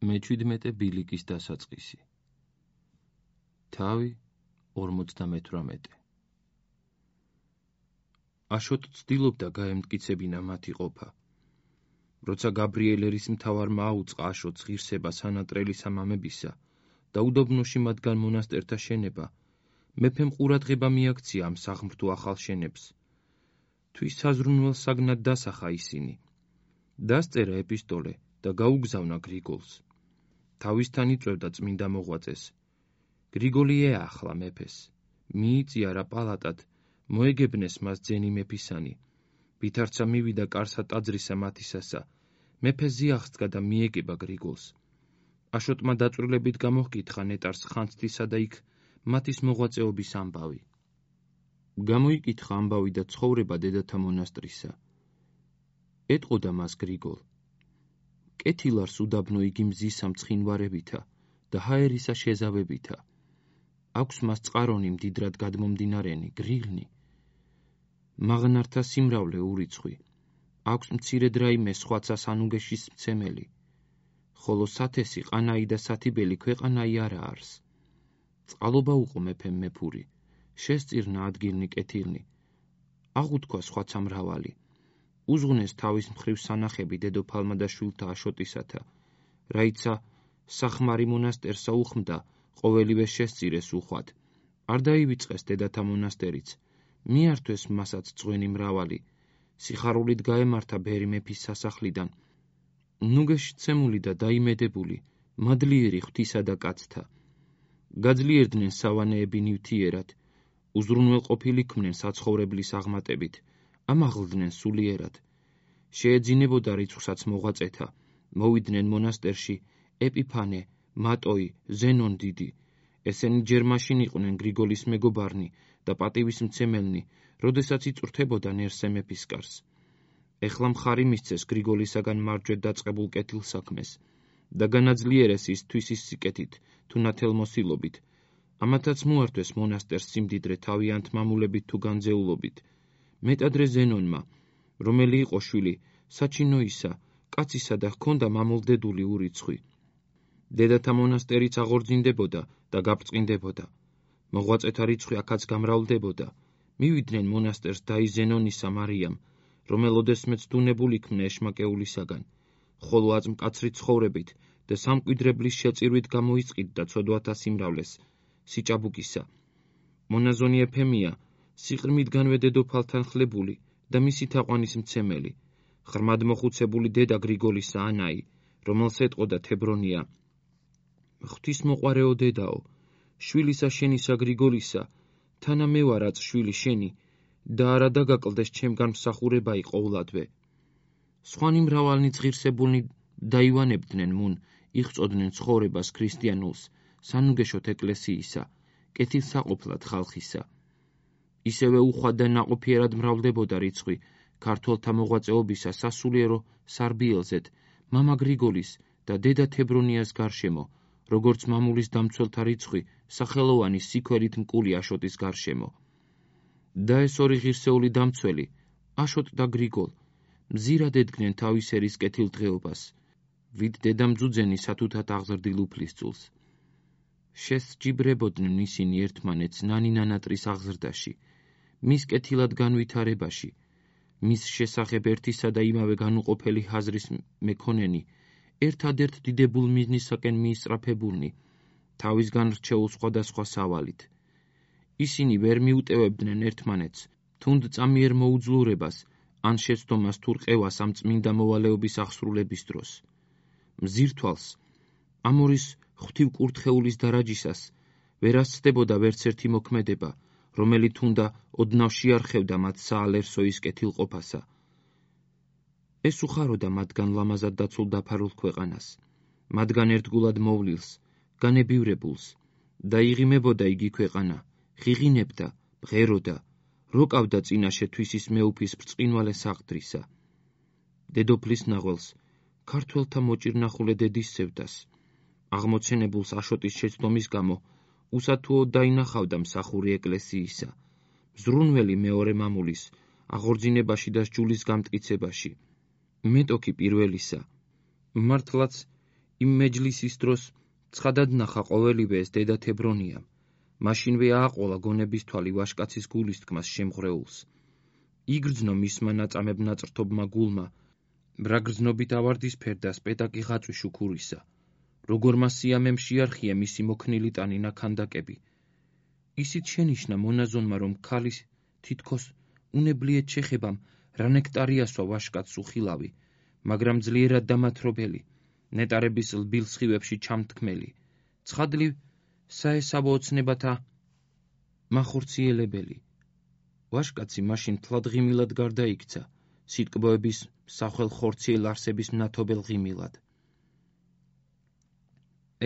მე-17 ბილიკის დასაწყისი. თავი 58. აშოტ ცდილობდა გაემტკიცებინა მათი ყოფა. როცა გაბრიელ ერისმთავარმა აუწყა აშოტს ღირსება სანატრელი სამამებისა და udobnoში მათგან მონასტერთა შენება, მეფემ ყურადღება მიაქცია ამ საღმრთო ახალ შენებს. თვის საზრუნველ საგნად დასახა ისინი. დასწერა ეპისტოლე და გაუგზავნა გრიგოლს. თავისთან იწვევდა წმინდა მოღვაწეს. გრიგოლი ეახლა მეფეს. მიიწიარა პალატად, მოეგებნეს მას ძენი მეფისანი. ვითარცა მივიდა კარსა ტაძრისა მათისასა. მეფე ზიახსდგა და მიეგება გრიგოლს. აშოტმა დაწვრილებით გამოჰკითხა ნეტარს ხანძთისა და იქ მათის მოღვაწეობის ამბავი. გამოიკითხა ამბავი და ცხოვრება დედათა მონასტრისა. ეტყოდა მას გრიგოლ. კეთილარს უდაბნო იგი მზისა მცხინვარებითა და ჰაერისა შეზავებითა. აქვს მას წყარონი მდიდრად გადმომდინარენი, გრილნი. მაღნართა სიმრავლე ურიცხვი. აქვს მცირედ რაიმე სხვაცა სანუგეშის მცემელი. ხოლო სათესი, ყანაი და სათიბელი ქვეყანაი არა არს. წყალობა უყო მეფემ მეფური. შესწირნა ადგილნი კეთილნი. აღუთქვა სხვაცა მრავალი. უზღუნეს თავის მხრივ სანახები დედოფალმა და შვილთა აშოტისათა. რაიცა სახმარი მონასტერსა უხმდა, ყოველივე შესწირეს უხვად. არ დაივიწყეს დედათა მონასტერიც. მიართვეს მასაც წვენი მრავალი. სიხარულით გაემართა ბერი მეფის სასახლიდან. ნუგეში ცემული და დაიმედებული, მადლიერი ღვთისა და კაცთა. გაძლიერდნენ სავანეები ნივთიერად. უზრუნველ ყოფილი ქმნენ საცხოვრებლის აღმატებით. ამაღლდნენ სულიერად. შეეძინებოდა რიცხვსაც მოღვაწეთა. მოვიდნენ მონასტერში ეპიფანე, მატოი, ზენონ დიდი. ესენი ჯერ მაშინ იყვნენ გრიგოლის მეგობარნი და პატივის მცემელნი, როდესაც იწვრთებოდა ნერსე მეფისკარს. ეხლა მხარი მისცეს გრიგოლისაგან მარჯვედ დაწყებულ კეთილ საქმეს და განაძლიერეს ის თვისის სიკეთით თუ ნათელმოსილობით. ამათაც მოართვეს მონასტერს სიმდიდრე თავიანთ მამულებით თუ განძეულობით. მეტადრე ზენონმა, რომელი იყო შვილი საჩინოისა, კაცისა და ჰქონდა მამულდედული ურიცხვი. დედათა მონასტერიც აღორძინდებოდა და გაბრწყინდებოდა. მოღვაწეთა რიცხვი აქაც გამრავლდებოდა. მივიდნენ მონასტერს დაი ზენონისა მარიამ, რომელოდესმეც დუნებული ქმნა ეშმაკეულისაგან, ხოლო აწმკაცრი ცხოვრებით და სამკვიდრებლის შეწირვით გამოისყიდდა ცოდვათა სიმრავლეს, სიჭაბუკისა. მონაზონი ეფემია, სიყრმიდგანვე დედოფალთან ხლებული და მისი თაყვანის მცემელი, ღრმად მოხუცებული დედა გრიგოლისა ანაი, რომელს ეტყოდა თებრონია. ღვთისმოყვარეო დედაო, შვილისა შენისა გრიგოლისა, თანა მე ვარაც შვილი შენი და არა დაგაკლდეს ჩემგან მსახურებაი ყოვლადვე. სხვანი მრავალნი ღირსებულნი დაივანებდნენ მუნ, იღწოდნენ ცხოვრებას ქრისტიანულს, სანუგეშოთ ეკლესიისა, კეთილსაყოფლად ხალხისა. ისევე უხვად და ნაყოფიერად მრავლდებოდა რიცხვი ქართველთა მოღვაწეობისა სასულიერო სარბიელზეთ, მამა გრიგოლის და დედა თებრონიას გარშემო, როგორც მამულის დამცველთა რიცხვი სახელოვანი სიქველით მკული აშოტის გარშემო. და ეს ორი ღირსეული დამცველი, აშოტ და გრიგოლ, მზირად ედგნენ თავის ერის კეთილ დღეობას, ვით დედამძუძენი სათუთად აღზრდილ უფლისწულს. შესჯიბრებოდნენ ისინი ერთმანეთს ნანი-ნანატრის აღზრდაში, მის კეთილად განვითარებაში, მის შესახებ ერთისა და იმავე განუყოფელი ჰაზრის მეკონენი, ერთადერთ დიდებულ მიზნისაკენ მიისწრაფებულნი, თავისგან რჩეულ სხვადასხვა სავალით. ისინი ვერ მიუტევებდნენ ერთმანეთს, თუნდ წამიერ მოუძლურებას, ან შეცდომას თუ რყევას ამ წმინდა მოვალეობის აღსრულების დროს. მზირთვალს, ამ ორის ღვთივ კურთხეულის დარაჯისას, ვერ ასცდებოდა ვერცერთი მოქმედება, რომელიც თუნდა ოდნავ შეარხევდა მათ საალერსოის კეთილყოფასა. ეს უხაროდა მათგან ლამაზად დაცულ დაფარულ ქვეყანას, მათგან ერთგულად მოვლილს, განებივრებულს, და იღიმებოდა იგი ქვეყანა, ღიღინებდა, ბღეროდა, როკავდა წინაშე თვისის მეუფის ბრწყინვალე საყდრისა. დედოფლის ნაღველს, ქართველთა მოჭირნახულე დედის სევდას, აღმოცენებულს აშოტის შეცდომის გამო, უსათუო დაინახავდა მსახური ეკლესიისა, მზრუნველი მეორე მამულის, აღორძინებაში და სჯულის გამტკიცებაში. მეტოქი პირველისა. მართლაც იმ მეჯლისის დროს ცხადად ნახა ყოველივე ეს დედა თებრონიამ. მაშინვე ააყოლა გონების თვალი ვაშკაცის გულისთქმას შემღვრეულს. იგრძნო მისმა ნაწამებ ნაწრთობმა გულმა, რა გრძნობით ავარდისფერდა სპეტაკი ღაწვი შუქურისა, როგორმა სიამემ შეარხია მისი მოქნილი ტანინა ქანდაკები. ისიც შენიშნა მონაზონმა, რომ ქალის თითქოს უნებლიეთ შეხებამ რა ნექტარი ასვა ვაშკაცს უხილავი, მაგრამ ძლიერად დამათრობელი, ნეტარების ლბილ სხივებში ჩამთქმელი, ცხადლივ საესაბო ოცნებათა მახორციელებელი. ვაშკაცი მაშინ თლად ღიმილად გარდაიქცა, სიტკბოების სახელ ხორციელ არსების მნათობელ ღიმილად.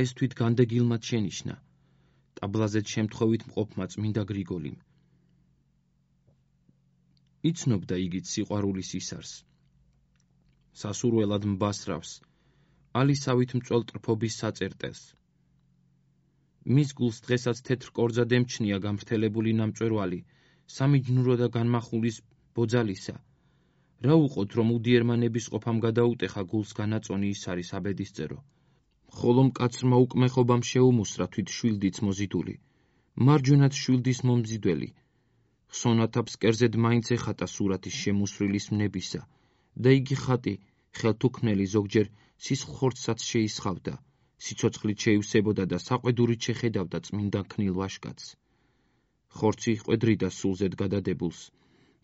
ეს თვით განდეგილმად შენიშნა, ტაბლაზეთ შემთხვევით მყოფმა წმინდა გრიგოლიმ. იცნობდა იგიც სიყვარულის ისარს, სასურველად mbasrავს, ალისავით მწველ ტრფობის საწერტელს. მის გულს დღესაც თეთრ კორძად ემჩნია გამრთელებული ნამწვერვალი, სამიჯნურო და განმახულის ბოძალისა. რა უყოთ, რომ უდიერმა ნებისყოფამ გადაუტეხა გულს განაწონი ის არის აბედისწერო. ხოლო მკაცრმა უკმეხობამ შეუმუსრა თვით შვილდიც მოზიდული, მარჯვენად შვილდის მომზიდველი. ხსონათა ფსკერზედ მაინც ეხატა სურათის შემუსრილის მნებისა და იგი ხატი ხელთუქმნელი ზოგჯერ სისხლ ხორცსაც შეისხავდა, სიცოცხლით შეივსებოდა და საყვედურით შეხედავდა წმინდა ქნილ ვაშკაცს. ხორცი ყვედრიდა სულზედ გადადებულს,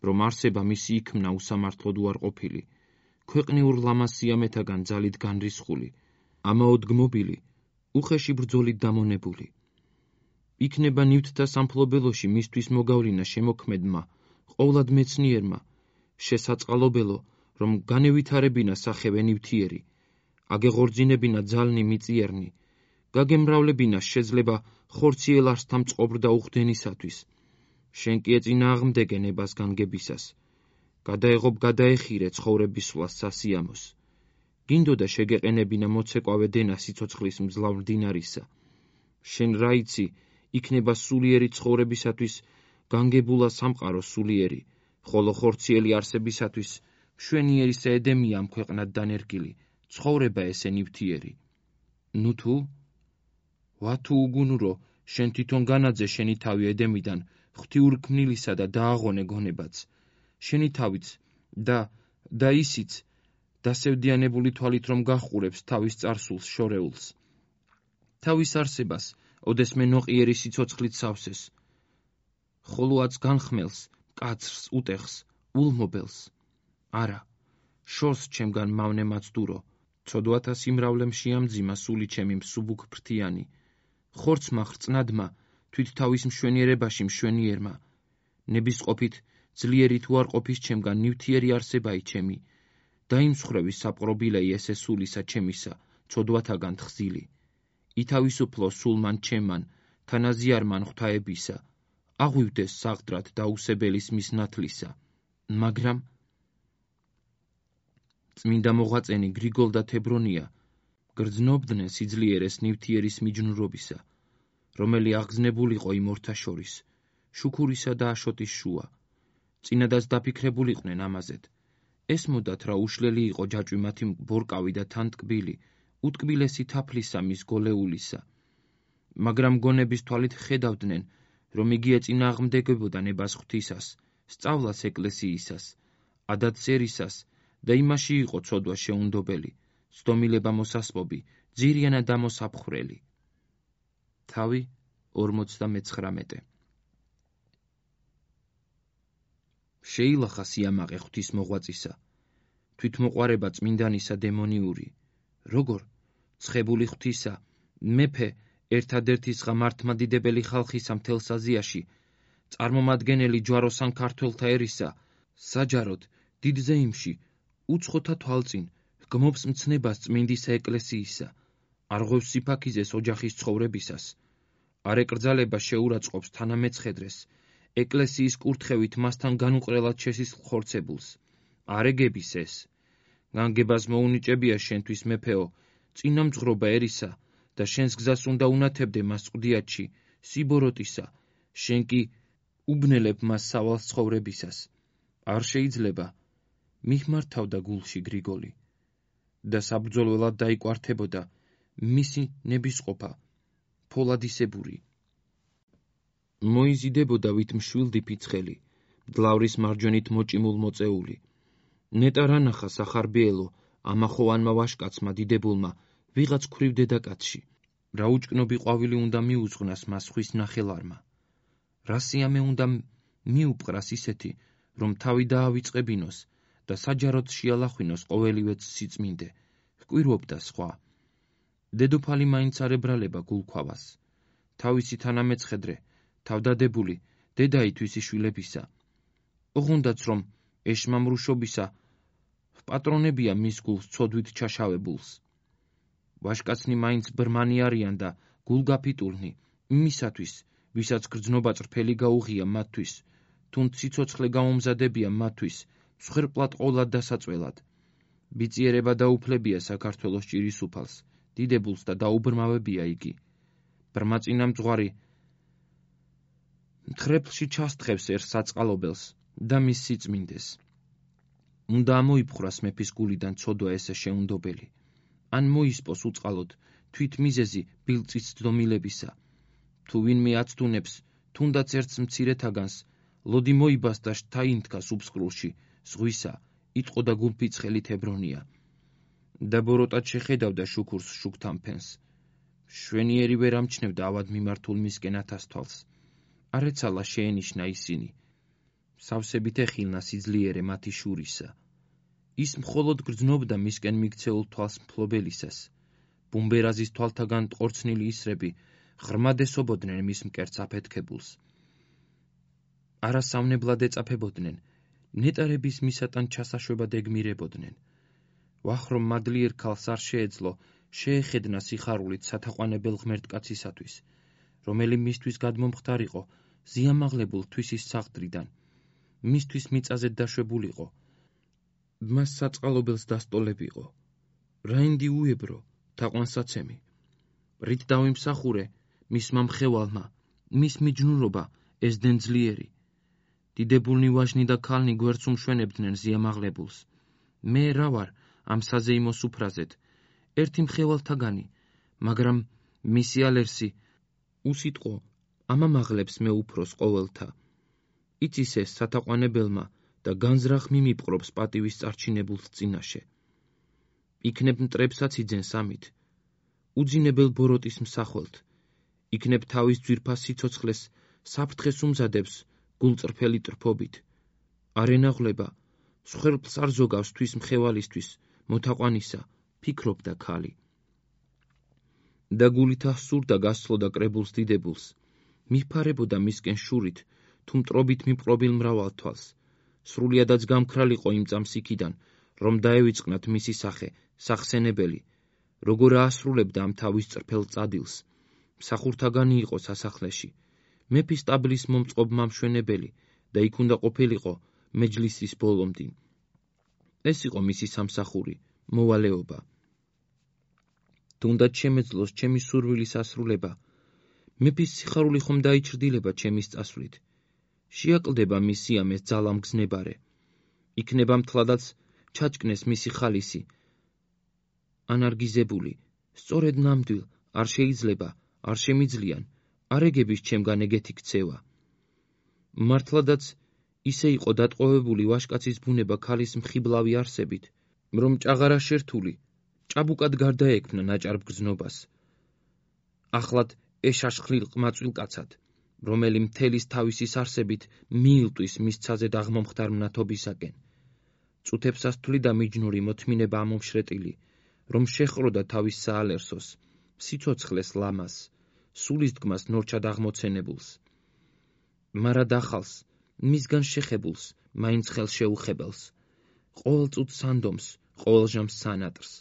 რომ არსება მისი იქმნა usამართლოდ უარყოფილი, ქვეყნიურ ლამას სიამეთაგან ძალით განრისხული, ამაოდგმობილი, უხეში ბრძოლით დამონებული. იქნება ნივთთა სამფლობელოში მისთვის მოგავლინა შემოქმედმა, ყოვლად მეცნიერმა, შესაწყალობელო, რომ განევითარებინა სახევე ნივთიერი, აგეღორძინებინა ძალნი მიწიერნი, გაგემრავლებინა შეძლება ხორციელ არსთა მწყობრ და უხდენისათვის. შენ კი ეწინააღმდეგე ნებას განგებისას, გადაეღობ გადაეხირე ცხოვრების სვლას სასიამოს. გინდოდა შეგეყენებინა მოცეკვავე დენა სიცოცხლის მძლავრ მდინარისა. შენ რა იცი, იქნება სულიერი ცხოვრებისათვის განგებულა სამყარო სულიერი, ხოლო ხორციელი არსებისათვის მშვენიერისა ედემია ამ ქვეყნად დანერგილი, ცხოვრება ესე ნივთიერი. ნუ თუ? ვათუ უგუნურო, შენ თვითონ განაძე შენი თავი ედემიდან, ღვთიურ ქმნილისა და დააღონე გონებაც. შენი თავიც და ისიც დასევდიანებული თვალით რომ გაჰყურებს თავის წარსულს შორეულს. თავის არსებას ოდესმე ნოყიერი სიცოცხლით სავსეს. ხოლოაც განხმელს, მკაცრს, უტეხს, ულმობელს. არა, შორს ჩემგან მავნე მაცდურო, ცოდვათა სიმრავლემ შეამძიმა სული ჩემი მსუბუქ ფრთიანი. ხორცმა ხრწნადმა, თვით თავის მშვენიერებაში მშვენიერმა, ნებისყოფით ძლიერით უარყოფის ჩემგან ნივთიერი არსებაი ჩემი, დაიმსხვრევი საპყრობილეი ესე სულისა ჩემისა, ცოდვათაგან თხზილი. ითავისუფლო სულმან ჩემან, თანაზიარმან ღვთაებისა, აღვივდეს საღდრად დაუსებელის მის ნათლისა, მაგრამ წმინდა მოღვაწენი გრიგოლ და თებრონია გრძნობდნენ სიძლიერეს ნივთიერის მიჯნურობისა, რომელი აღგზნებულიყო იმ ორთა შორის, შუქურისა და აშოტის შუა. წინადაც დაფიქრებულიყვნენ ამაზედ. ესმოდათ რა უშლელი იყო ჯაჭვი მათი ბორკავი და თან ტკბილი, უტკბილესი თაფლისა მის გოლეულისა. მაგრამ გონების თვალით ხედავდნენ, რომ იგი ეწინააღმდეგებოდა ნებას ღვთისას, სწავლას ეკლესიისას, ადათ-სერისას და იმაში იყო ცოდვა შეუნდობელი, ცდომილება მოსასპობი, ძირიანა დამოსაფხრელი. თავი 59. შეილახა სიამაყე ღვთის მოღვაწისა, თვითმოყვარება წმინდანისა დემონიური, როგორ ცხებული ღვთისა, მეფე ერთადერთი ღმართმადიდებელი ხალხისა მთელს აზიაში, წარმომადგენელი ჯვაროსან ქართველთა ერისა, საჯაროდ დიდ ზეიმში, უცხოთა თვალწინ, გმობს მცნებას წმინდისა ეკლესიისა, არღვევს სიფაქიზეს ოჯახის ცხოვრებისას, არ ეკრძალება შეურაცხყოფს თანამეცხედრეს, ეკლესიის კურთხევით მასთან განუყრელად შესისხლ ხორცებულს, არ ეგების ეს. განგებას მოუნიჭებია შენთვის მეფეო, წინამძღვრობა ერისა და შენს გზას უნდა უნათებდე მას წვდიათში, სიბოროტისა, შენ კი უბნელებ მას სავალს ცხოვრებისას. არ შეიძლება, მიხმართავდა გულში გრიგოლი და საბრძოლველად დაიკვართებოდა, მისი ნებისყოფა, ფოლადისებური. მოიზიდებოდა ვით მშვილდი ფიცხელი, მძლავრის მარჯვენით მოჭიმულ მოწეული. ნეტარ ანახა სახარბიელო, ამახოვანმა ვაშკაცმა დიდებულმა, ვიღაც ქვრივ დედაკაცში. რა უჭკნობი ყვავილი უნდა მიუძღნას მას ხვის ნახელარმა. რა სიამე უნდა მიუპყრას ისეთი, რომ თავი დაავიწყებინოს და საჯაროდ შეალახვინოს ყოველივე სიწმინდე, ჰკვირვობდა სხვა. დედოფალი მაინც არ ებრალება გულქვავას. თავისი თანამეცხედრე, თავდადებული, დედაითვისი შვილებისა. ოღონდაც რომ ეშმამრუშობისა პატრონებია მის გულს ცოდვით ჩაშავებულს. ვაშკაცნი მაინც ბრმანი არიან და გულგაფიტულნი, იმისათვის, ვისაც გრძნობა წრფელი გაუღია მათთვის, თუნ სიცოცხლე გაუმზადებია მათთვის, მსხვერპლად ყოლად დასაწველად. ბიწიერება დაუფლებია საქართველოს ჭირისუფალს, დიდებულს და დაუბრმავებია იგი. ბრმაწინა მძღვარი მთხრეფლში ჩასთხევს ერთ საწყალობელს და მის სიწმინდეს. უნდა ამოიფხვრას მეფის გულიდან ცოდვა ესე შეუნდობელი. ან მოისპოს უწყალოდ თვით მიზეზი ბილწის ცდომილებისა. თუ ვინმე აცდუნებს, თუნდაც ერთს მცირეთაგანს, ლოდი მოიბას და შთაინთქას უბსყრულში, ზღვისა, იტყო და გულფიცხელით ებრონია. და ბოროტად შეხედავდა შუქურს შუქთან ფენს. შვენიერი ვერ ამჩნევდა ავად მიმართულ მისკენ ათასთვალს. არ ეცალა შეენიშნა ისინი. სავსებით ეხილნა სიძლიერე მათი შურისა. ის მხოლოდ გრძნობდა მისკენ მიქცეულ თვალს მფლობელისას. ბუმბერაზის თვალთაგან ტყორცნილი ისრები ღრმად ესობოდნენ მის მკერდს აფეთქებულს. არასავნებლად ეწაფებოდნენ, ნეტარების მისატან ჩასაშვებად ეგმირებოდნენ. ვახრომ მადლიერ ქალს არ შეეძლო შეეხედნა სიხარულით სათაყვანებელ ღმერთკაცისათვის, რომელი მისთვის გადმომხდარიყო ზიამაღლებულ თვისის საღდრიდან, მისთვის მიწაზე დაშვებულიყო, მას საწყალობელს დასტოლებიყო. რაინდი უებრო, თაყვანსაცემი. რით დავიმსახურე მისმა მხევალმა, მის მიჯნურობა ესდენ ძლიერი. დიდებულნი ვაჟნი და ქალნი გვერდს უმშვენებდნენ ზიამაღლებულს. მე რა ვარ ამ საზეიმო სუფრაზეთ, ერთი მხევალთაგანი, მაგრამ მისი ალერსი უსიტყო ამამაღლებს მე უფროს ყოველთა. იცის ეს სათაყვანებელმა და განზრახ მიმიპყრობს პატივის წარჩინებულს წინაშე. იქნებ მტრებსაც იძენს ამით, უძინებელ ბოროტის მსახველთ, იქნებ თავის ძვირფას სიცოცხლეს საფრთხეს უმზადებს გულწრფელი ტრფობით. არ ენაღვლება, მსხვერპლს არ ზოგავს თვის მხევალისთვის, მოთაყვანისა, ფიქრობდა ქალი. და გულით ასურდა გასცლოდა კრებულს დიდებულს, მიფარებოდა მისკენ შურით, თუ მტრობით მიპყრობილ მრავალ თვალს. სრულიადაც გამქრალიყო იმ წამს იქიდან, რომ დაევიწყნათ მისი სახე, სახსენებელი, როგორ აასრულებდა ამ თავის წრფელ წადილს. მსახურთაგანი იყო სასახლეში, მეფის ტაბლის მომწყობ მამშვენებელი და იქ უნდა ყოფილიყო მეჯლისის ბოლომდე. ეს იყო მისი სამსახური, მოვალეობა. თუნდაც შემეძლოს ჩემი სურვილის ასრულება, მეფის სიხარული ხომ დაიჩრდილება ჩემის წასვლით. შეაკლდება მისი ამეს ძალამგზნებარე. იქნება მთლადაც ჩაჭკნეს მისი ხალისი. ანარგიზებული, სწორედ ნამდვილ, არ შეიძლება, არ შემიძლიან, არ ეგების ჩემგან ეგეთი ქცევა. მართლადაც ისე იყო დატყვევებული ვაშკაცის ბუნება ქალის მხიბლავი არსებით, რომ ჭაღარა შერთული, ჭაბუკად გარდაექმნა ნაჭარ ბგზნობას. ახლად ეშაშხლილ ყმაწვილკაცად, რომელი მთელის თავისის არსებით მიილტვის მისცაზე დაღმომხდარ მნათობისაკენ. წუთებსას თვლიდა მიჯნური მოთმინება ამომშრეტილი, რომ შეხროდა თავის საალერსოს, სიცოცხლეს ლამას, სულის დგმას ნორჩად აღმოცენებულს. მარა დახალს, მისგან შეხებულს, მაინც ხელს შეუხებელს. ყოველ წუთს სანდომს, ყოველ ჟამს სანატრს.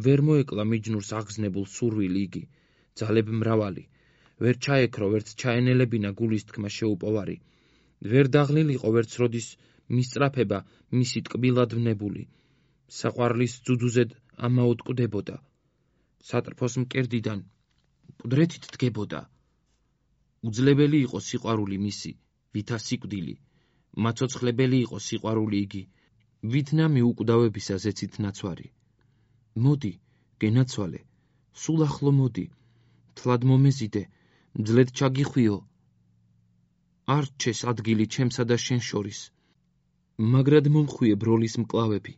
ვერ მოეკლა მიჯნურს აღგზნებულ სურვილი იგი, ძალებ მრავალი, ვერ ჩაეკრო, ვერც ჩაენელებინა გულის თქმა შეუპოვარი, ვერ დაღლილიყო, ვერც როდის მისწრაფება მისი ტკბილად ვნებული, საყვარლის ძუძუზედ ამაუტკვდებოდა, სატრფოს მკერდიდან მკვდრეთით დგებოდა. უძლებელი იყო სიყვარული მისი, ვითა სიკვდილი, მაცოცხლებელი იყო სიყვარული იგი, ვით ნამი უკვდავებისა ზეცით ნაცვარი. მოდი, გენაცვალე, სულ ახლო მოდი, თლად მომეზიდე, მძლედ ჩაგიხვიო. არ რჩეს ადგილი ჩემსა და შენ შორის. მაგრად მომხვიე ბროლის მკლავები.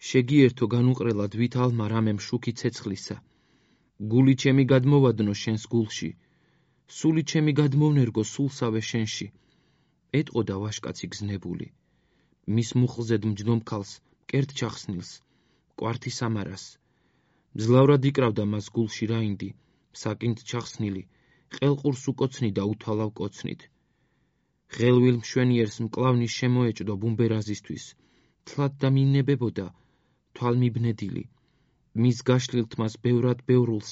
შეგიერთო განუყრელად ვითალმა რამემ შუქი ცეცხლისა. გული ჩემი გადმოვადნო შენს გულში. სული ჩემი გადმოვნერგო სულსავე შენში. ეტყოდა ვაშკაცი გზნებული. მის მუხლზედ მჯდომ ქალს, მკერდ ჩახსნილს, კვართი სამარას. მძლავრად იკრავდა მას გულში რაინდი, საკინდ ჩახსნილი, ყელყურს უკოცნიდა უთვალავ კოცნით. ღელვილ მშვენიერს მკლავნის შემოეჭდო ბუმბერაზისთვის, თლად და მინებებოდა, თვალმიბნედილი. მის გაშლილთ მას ბევრად ბევრულს,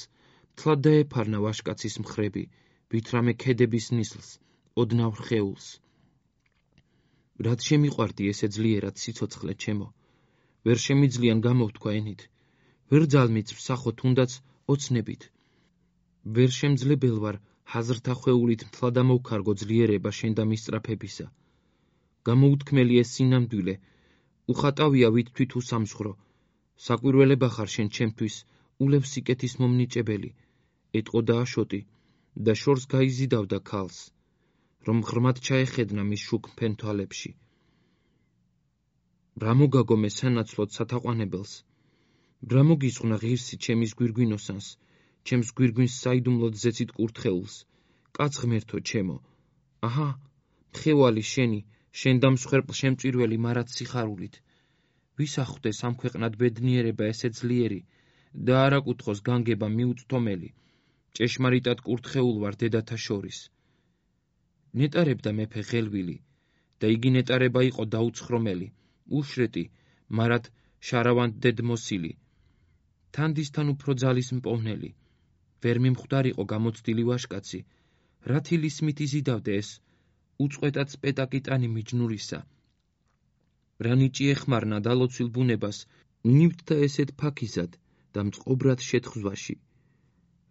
თლად დაეფარნა ვაშკაცის მხრები, ვითრამე ქედების ნისლს, ოდნავ რხეულს. რად შემიყვარდი ესე ძლიერად სიცოცხლე ჩემო, ვერ შემიძლიან გამოვთქვა ენით, ვერ ძალმიც ვსახო თუნდაც ოცნებით. ვერ შემძლებელ ვარ ჰაზრთა ხვეულით მთლად ამოვქარგო ძლიერება შენ და მისწრაფებისა. გამოუთქმელი ეს სინამდვილე, უხატავია ვით თვით უსამსხრო, საკვირველება ხარ შენ ჩემთვის, ულევ სიკეთის მომნიჭებელი, ეტყოდა აშოტი და შორს გაიზიდავდა ქალს, რომ ღრმად ჩაეხედნა მის შუქ მფენ თვალებში. რა მოგაგომე სანაცვლოდ სათაყვანებელს, რა მოგისხნა ღირსი ჩემის გვირგვინოსანს, ჩემს გვირგვინს საიდუმლოდ ზეცით კურთხეულს, კაც ღმერთო ჩემო, აჰა, მხევალი შენი, შენ დამსხვერპლ შემწირველი მარად სიხარულით. ვის ახვდეს ამ ქვეყნად ბედნიერება ესე ძლიერი და არ აკუთხოს განგება მიუწვდომელი, ჭეშმარიტად კურთხეულ ვარ დედათა შორის. ნეტარებდა მეფე ღელვილი და იგი ნეტარება იყო დაუცხრომელი, უშრეტი, მარად შარავან დედმოსილი, თანდისთან უფრო ძალის მპოვნელი. ვერ მიმხვდარიყო გამოცდილი ვაშკაცი, რა თილისმით იზიდავდე ეს, უწყვეტად სპეტაკიტანი მიჯნურისა. რა ნიჭი ეხმარნა დალოცვილ ბუნებას, ნივთთა ესეთ ფაქიზად და მწყობრად შეთხზვაში.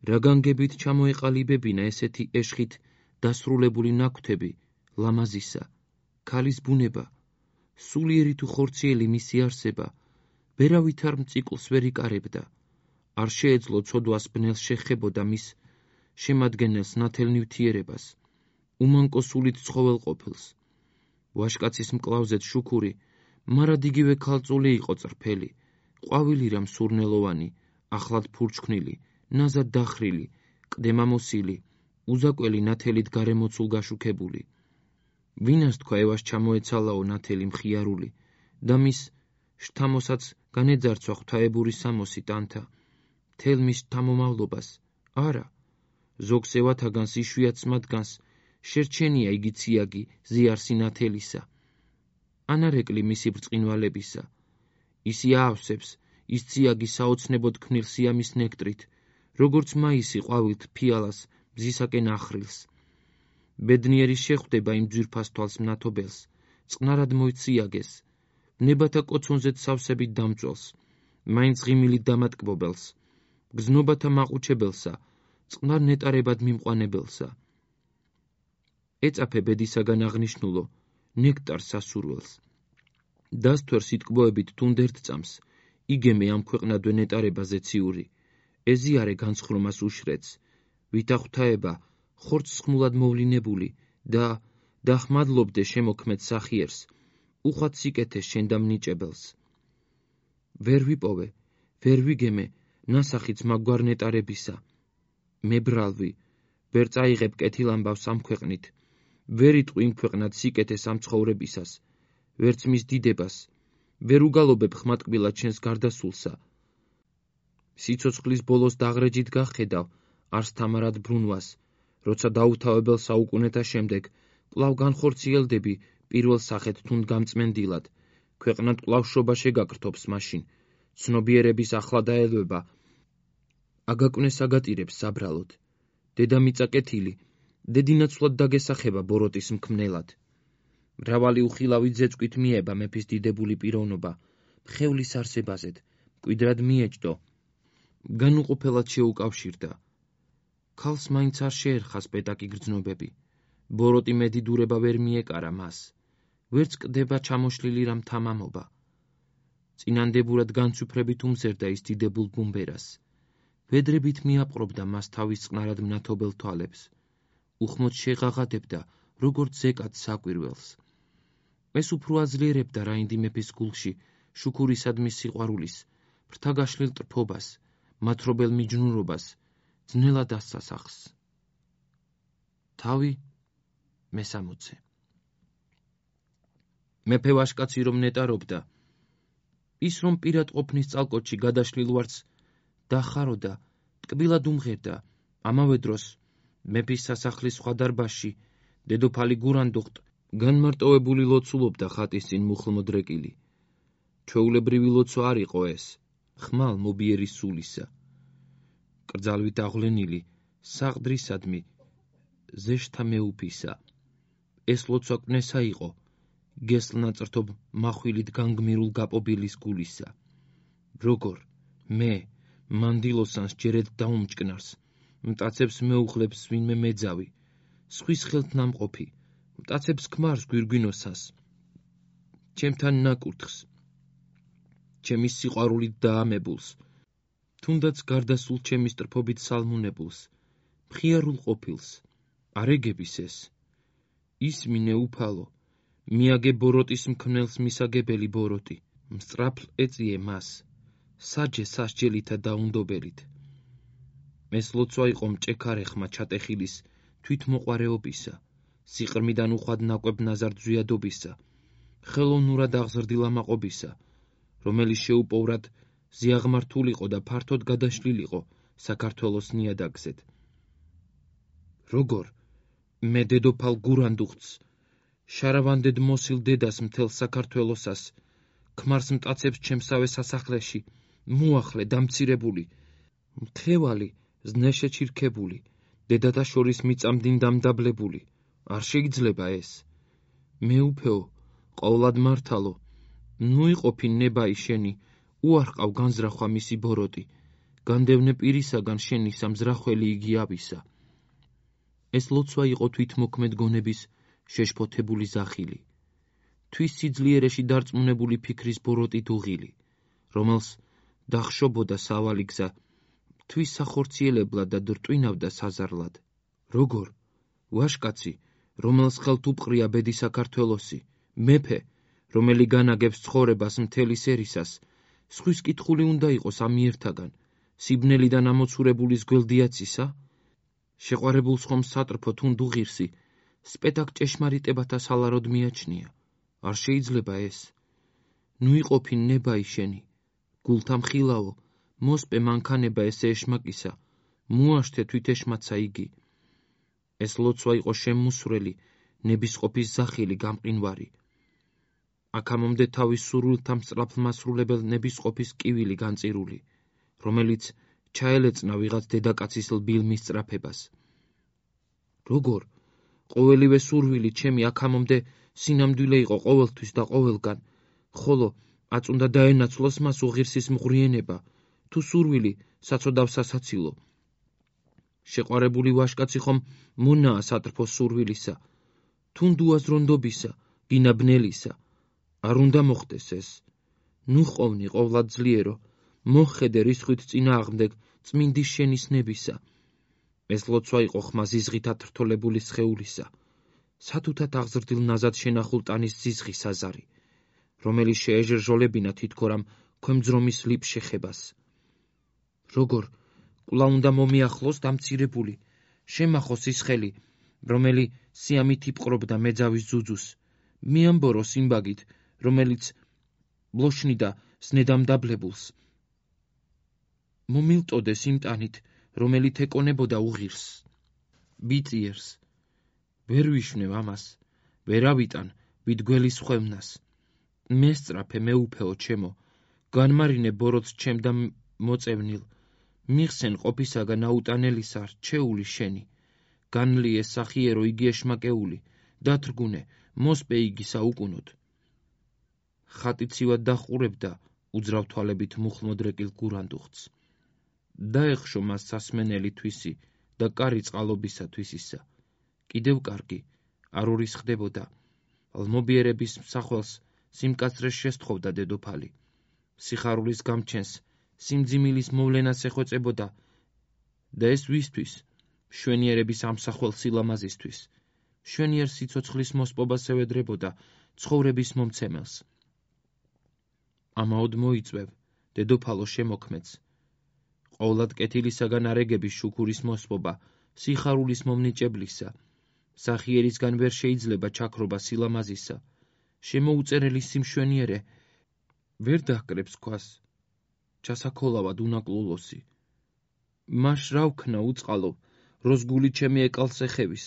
რა განგებით ჩამოეყალიბებინა ესეთი ეშხით დასრულებული ნაქვთები, ლამაზისა, ქალის ბუნება, სულიერი თუ ხორციელი მისი არსება, ვერავით არ მწიკლს ვერ იკარებდა, არ შეეძლო ცოდვას ბნელს შეხებოდა მის შემადგენელს ნათელ ნივთიერებას, უმანკო სულით ცხოველ ყოფილს. ვაშკაცის მკლავზეც შუქური, მარად იგივე ქალწული იყო წრფელი, ყვავილი რამ სურნელოვანი, ახლად ფურჩქნილი, ნაზად დახრილი, ყდემამოსილი, უზაკველი ნათელით გარემოცულ გაშუქებული. ვინას თქვა ევას ჩამოეცალაო ნათელი მხიარული და მის შთამოსაც განეძარცვა ღვთაებური სამოსი ტანთა, მთელ მის შთამომავლობას, არა, ზოგს ევათაგანს იშვიათს მათგანს, შერჩენია იგი ციაგი ზიარსი ნათელისა. ანარეკლი მისი ბრწყინვალებისა, ისი აავსებს, ის ციაგი საოცნებოდ ქმნილ სიამის ნექტრით, როგორც მაისი ყვავილთ ფიალას მზისაკენ ახრილს. ბედნიერი შეხვდება იმ ძვირფას თვალს მნათობელს, წყნარად მოიციაგეს, ნებათა კოცონზეც სავსებით დამწველს, მაინც ღიმილით დამატკბობელს, გზნობათა მაყუჩებელსა, წყნარ ნეტარებად მიმყვანებელსა. ეწაფე ბედისაგან აღნიშნულო, ნექტარ სასურველს. დასთვერ სიტკბოებით თუნდ ერთ წამს, იგემე ამ ქვეყნადვე ნეტარებაზე ციური, ეზიარე განსხრომას უშრეც, ვითა ღვთაება ხორცს ხმულად მოვლინებული და დახმადლობდე შემოქმედ სახიერს, უხვად სიკეთეს შენ და მნიჭებელს. ვერ ვიპოვე, ვერ ვიგემე ნასახიც მაგვარ ნეტარებისა. მე ბრალვი, ვერ წაიღებ კეთილ ამბავს ამ ქვეყნით, ვერ იტყვი იმ ქვეყნად სიკეთეს ამ ცხოვრებისას, ვერც მის დიდებას, ვერ უგალობებ ხმატკბილად შენს გარდასულსა. სიცოცხლის ბოლოს დაღრეჯით გახედავ არს თამარად ბრუნვას, როცა დაუთავებელ საუკუნეთა შემდეგ კვლავ განხორციელდები პირველ სახეთ თუნდ გამწმენდილად, ქვეყნად კვლავ შობა შეგაკრთობს მაშინ, ცნობიერების ახლა დაელვება, აგაკვნეს აგატირებს საბრალოდ, დედამიწა კეთილი, დედინაცვლად დაგესახება ბოროტის მქმნელად. მრავალი უხილავი ძეწვით მიება მეფის დიდებული პიროვნობა, მხევლის არსებაზედ, მკვიდრად მიეჭდო, განუყოფელად შეუკავშირდა. ქალს მაინც არ შეერხა სპეტაკი გრძნობები, ბოროტი მედიდურება ვერ მიეკარა მას, ვერც კდება ჩამოშლილი რამ თამამობა. წინანდებურად განცვიფრებით უმზერდა ის დიდებულ ბუმბერას, ვედრებით მიაპყრობდა მას თავის წყნარად მნათობელ თვალებს. უხმოდ შეღაღადებდა, როგორც ზეკად საკვირველს. ეს უფრო აძლიერებდა რაინდი მეფის გულში შუქურისადმი სიყვარულის, ფრთაგაშლილ ტრფობას, მათრობელ მიჯნურობას, ძნელად ასასახს. თავი მე-60. მეფე ვაშკაცი რომ ნეტარობდა, ის რომ პირად ყოფნის წალკოჩი გადაშლილ ვარც დახაროდა, ტკბილად უმღერდა. ამავე დროს მეფის სასახლის სხვა დარბაზში დედოფალი გურანდუხტ განმარტოვებული ლოცულობდა ხატის წინ მუხლმოდრეკილი. ჩვეულებრივი ლოცვა არ იყო ეს, ხმალ მობიერი სულისა. კრძალვით აღვლენილი, საყდრისადმი, ზეშთა მეუფისა. ეს ლოცვა კვნესა იყო, გესლნაწრთობ מחვილით განგმირულ გაპობილის გულისა. როგორ მე მანდილოსანს ჯერედ დაუმჭკნარს, მტაცებს მეუხლებს ვინმე მეძავი, სხვის ხელთ ნამყოფი, მტაცებს ქმარს გვირგვინოსას, ჩემთან ნაკურთხს, ჩემი სიყვარულით დაამებულს, თუნდაც გარდასულ ჩემი სტრფობით სალმუნებულს, მხიარულ ყოფილს, არეგების ეს, ის მინეუფალო, მიაგე ბოროტის მქმნელს მისაგებელი ბოროტი, მსწრაფლ ეწიე მას, საჯე სასჯელითა დაუნდობელით. ეს ლოცვა იყო მჭექარეხმა ჩატეხილის თვითმოყვარეობისა, სიყრმიდან უხვად ნაკვებ ნაზარ ძვიადობისა, ხელოვნურად აღზრდილამაყობისა, რომელიც შეუპოვრად ზიაღმართულიყო და ფართოდ გადაშლილიყო საქართველოს ნიადაგზედ. როგორ მე დედოფალ გურანდუხტს, შარავანდედ მოსილ დედას მთელ საქართველოსას, ქმარს მტაცებს ჩემსავე სასახლეში, მოახლე დამცირებული, მთევალი ზნეშეჩირქებული, დედათა შორის მიწამდინ დამდაბლებული, არ შეიძლება ეს. მეუფეო, ყოვლად მართალო, ნუ იყოფი ნებაი შენი, უარყავ განზრახვა მისი ბოროტი, განდევნე პირისაგან შენი სამზრახველი იგი ავისა. ეს ლოცვა იყო თვითმოქმედ გონების შეშფოთებული ზახილი, თვის სიძლიერეში დარწმუნებული ფიქრის ბოროტი დუღილი, რომელს დახშობოდა სავალი გზა, თვის სახორციელებლად და დრტვინავდა საზარლად. როგორ ვაშკაცი, რომელს ხელთ უპყრია ბედი საქართველოსი, მეფე, რომელი განაგებს ცხოვრებას მთელი სერისას, სხვის კითხული უნდა იყოს ამიერთაგან, სიბნელიდან ამოცურებულის გველდიაცისა, შეყვარებულს ხომ სატრფო თუნდ უღირსი, სპეტაკ ჭეშმარიტებათა სალაროდ მიაჩნია. არ შეიძლება ეს. ნუ იყოფი ნებაი შენი, გულთა მხილავო, მოსპე მანქანება ესე ეშმაკისა, მოაშთე თვითეშმაცა იგი. ეს ლოცვა იყო შემმუსვრელი, ნებისყოფის ზახილი გამყინვარი. აქამომდე თავის სურვილთა მსწრაფლმასრულებელ ნებისყოფის კივილი განწირული, რომელიც ჩაელეწნა ვიღაც დედაკაცის ლბილ მისწრაფებას. როგორ ყოველივე სურვილი ჩემი აქამომდე სინამდვილე იყო ყოველთვის და ყოველგან, ხოლო აწუნდა დაენაცვლოს მას უღირსის მღვრიენება, თუ სურვილი საცოდავ სასაცილო. შეყვარებული ვაშკაცი ხომ მონაა სატრფო სურვილისა, თუნდ უაზრონდობისა, გინა ბნელისა. არ უნდა მოხდეს ეს. ნუ ხოვნი ყოვლად ძლიერო, მოხედე რისხვით წინააღმდეგ წმინდის შენიშნებისა. ეს ლოცვა იყო ხმა ზიზღით ათრთოლებული სხეულისა, სათუთად აღზრდილ ნაზად შენახულ ტანის ზიზღი საზარი, რომელიც შეეჟრჟოლებინა თითქორამ ქვემძრომის ლიპ შეხებას. როგორ კვლავ უნდა მომიახლოს დამცირებული, შემახოს ის ხელი, რომელი სიამით იპყრობდა მეძავის ძუძუს, მიამბორო სიმბაგით, რომელიც ბლოშნიდა სნედამდაბლებულს. მომილტოდეს იმ ტანით, რომელიც ეკონებოდა უღირს, ბიწიერს. ვერ ვიშვნევ ამას, ვერ ავიტან ვით გველის ხვევნას. მესწრაფე მეუფეო ჩემო, განმარინე ბოროტს ჩემ და მოწევნილ, მიხსენ ყოფისაგან აუტანელისა რჩეული შენი, განლიე სახიერო იგი ეშმაკეული, დათრგუნე, მოსპე იგი საუკუნოდ. ხატი ცივად დახურებდა უძრავ თვალებით მუხლმოდრეკილ გურანდუხტს. დაეხშო მას სასმენელი თვისი და კარი წყალობისა თვისისა. კიდევ კარგი, არ ურისხდებოდა. ლმობიერების მსახველს სიმკაცრეს შესთხოვდა დედოფალი. სიხარულის გამჩენს, სიმძიმილის მოვლენას ეხვეწებოდა და ეს ვისთვის? მშვენიერების ამსახვალ სილამაზისთვის. მშვენიერ სიცოცხლის მოსპობას ევედრებოდა ცხოვრების მომცემელს. ამაოდ მოიწვევ, დედოფალო შემოქმედს. ყოვლად კეთილისაგან არეგების შუქურის მოსპობა, სიხარულის მომნიჭებლისა, სახიერისგან ვერ შეიძლება ჩაქრობა სილამაზისა, შემოუწერელი სიმშვენიერე, ვერ დაჰკრებს ქვას, ჩასაქოლავად უნაკლულოსი. მაშ რა ვქნა უწყალო, როს გული ჩემი ეკალს ეხევის,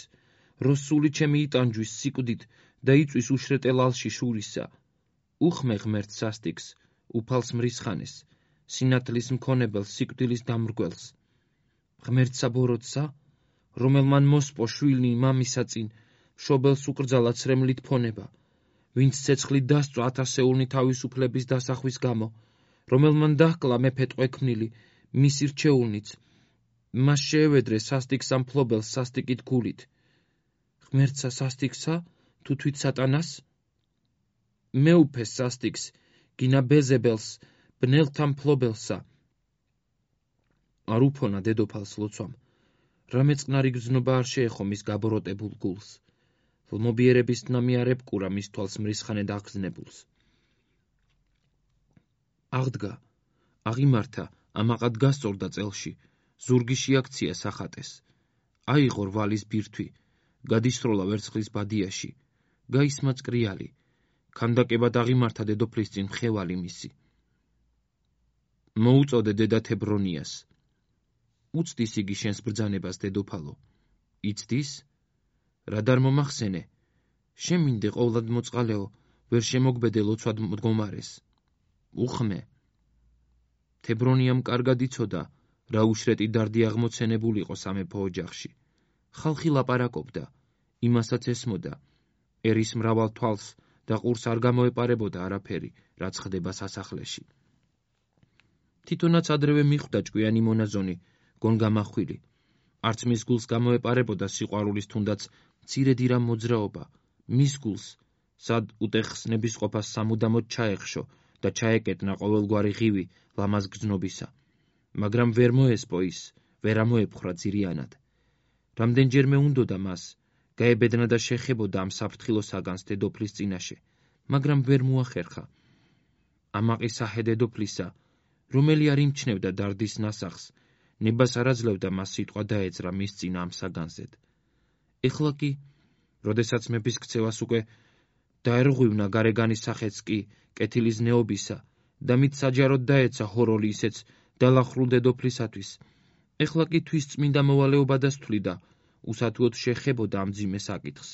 როს სული ჩემი იტანჯვის სიკვდით და იწვის უშრეტელ ალში შურისა. უხმე ღმერთს სასტიკს, უფალს მრისხანეს, სინათლის მქონებელს სიკვდილის დამრგველს. ღმერთსა ბოროტსა, რომელმან მოსპო შვილი მამისა წინ, მშობელს უკრძალა ცრემლით ფონება, ვინც ცეცხლით დასწვა ათასეულნი თავისუფლების დასახვის გამო, რომელმან დაჰკლა მეფე ტყვექმნილი, მისი რჩეულნიც, მას შეევედრე სასტიკს ამ მფლობელს სასტიკით გულით. ღმერთსა სასტიკსა, თუ თვით სატანას? მეუფეს სასტიკს, გინა ბეზებელს, ბნელთა მფლობელსა. არ უფონა დედოფალს ლოცვამ, რამე წყნარი გრძნობა არ შეეხო მის გაბოროტებულ გულს. ლმობიერების ნამი არ ებკურა მის თვალს მრისხანედ აღგზნებულს. აღდგა, აღიმართა, ამაყად გასწორდა წელში, ზურგი შეაქცია სახატეს. აიღო რვალის ბირთვი, გადისროლა ვერცხლის ბადიაში, გაისმა წკრიალი, ქანდაკებად აღიმართა დედოფლის წინ მხევალი მისი. მოუწოდე დედა თებრონიას. უცდის იგი შენს ბრძანებას, დედოფალო. იცდის? რად არ მომახსენე? შემინდე ყოვლად მოწყალეო, ვერ შემოგბედე ლოცვად მდგომარეს. უხმე. თებრონიამ კარგად იცოდა, რა უშრეტი დარდი აღმოცენებულიყო სამეფო ოჯახში. ხალხი ლაპარაკობდა, იმასაც ესმოდა, ერის მრავალ თვალს და ყურს არ გამოეპარებოდა არაფერი, რაც ხდება სასახლეში. თვითონაც ადრევე მიხვდა ჭკვიანი მონაზონი, გონგამახვილი. არც მის გულს გამოეპარებოდა სიყვარულის თუნდაც მცირედი რამ მოძრაობა, მის გულს, სად უტეხსნების ყოფას სამუდამოდ ჩაეხშო და ჩაეკეტნა ყოველგვარი ღივი ლამაზ გრძნობისა. მაგრამ ვერ მოესპო ის, ვერ ამოეფხრა ძირიანად. რამდენჯერმე უნდოდა მას, გაებედნა და შეხებოდა ამ საფრთხილოსაგანს დედოფლის წინაშე, მაგრამ ვერ მოახერხა. ამაყი საჰე დედოფლისა, რომელი არ იმჩნევდა დარდის ნასახს, ნებას არ აძლევდა მას სიტყვა დაეძრა მის წინ ამ საგანზედ. ეხლა კი, როდესაც მეფის ქცევას უკვე დაერღვივნა გარეგანის სახეც კი კეთილის ნეობისა და მით საჯაროდ დაეცა ჰოროლი ისეც დალახრულ დედოფლისათვის, ეხლა კი თვის წმინდა მოვალეობა დასთვლიდა, უსათუოდ შეხებოდა ამ მძიმე საკითხს.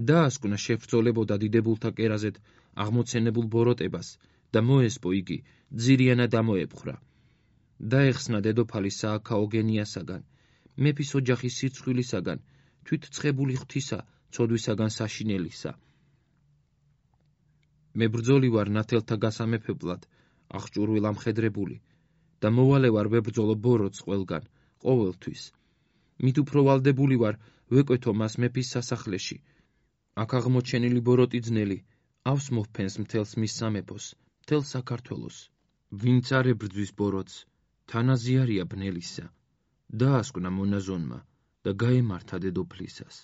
დაასკვნა შებრძოლებოდა დიდებულთა კერაზედ აღმოცენებულ ბოროტებას და მოესპო იგი, ძირიანად ამოეპხრა. დაეხსნა დედოფალი სააქაო გენიასაგან, მეფის ოჯახის სირცხვილისაგან, თვით ცხებული ღვთისა, ცოდვისაგან საშინელისა. მე ბრძოლი ვარ ნათელთა გასამეფებლად, აღჭურვილ ამხედრებული, და მოვალე ვარ ვებრძოლო ბოროტს ყველგან, ყოველთვის. მით უფრო ვალდებული ვარ ვეკვეთო მას მეფის სასახლეში. აქ აღმოჩენილი ბოროტი ძნელი,ავს მოვფენს მთელს მის სამეფოს, მთელ საქართველოს. ვინც არ ებრძვის ბოროტს, თანაზიარია ბნელისა. დაასკვნა მონაზონმა და გაემართა დედოფლისას.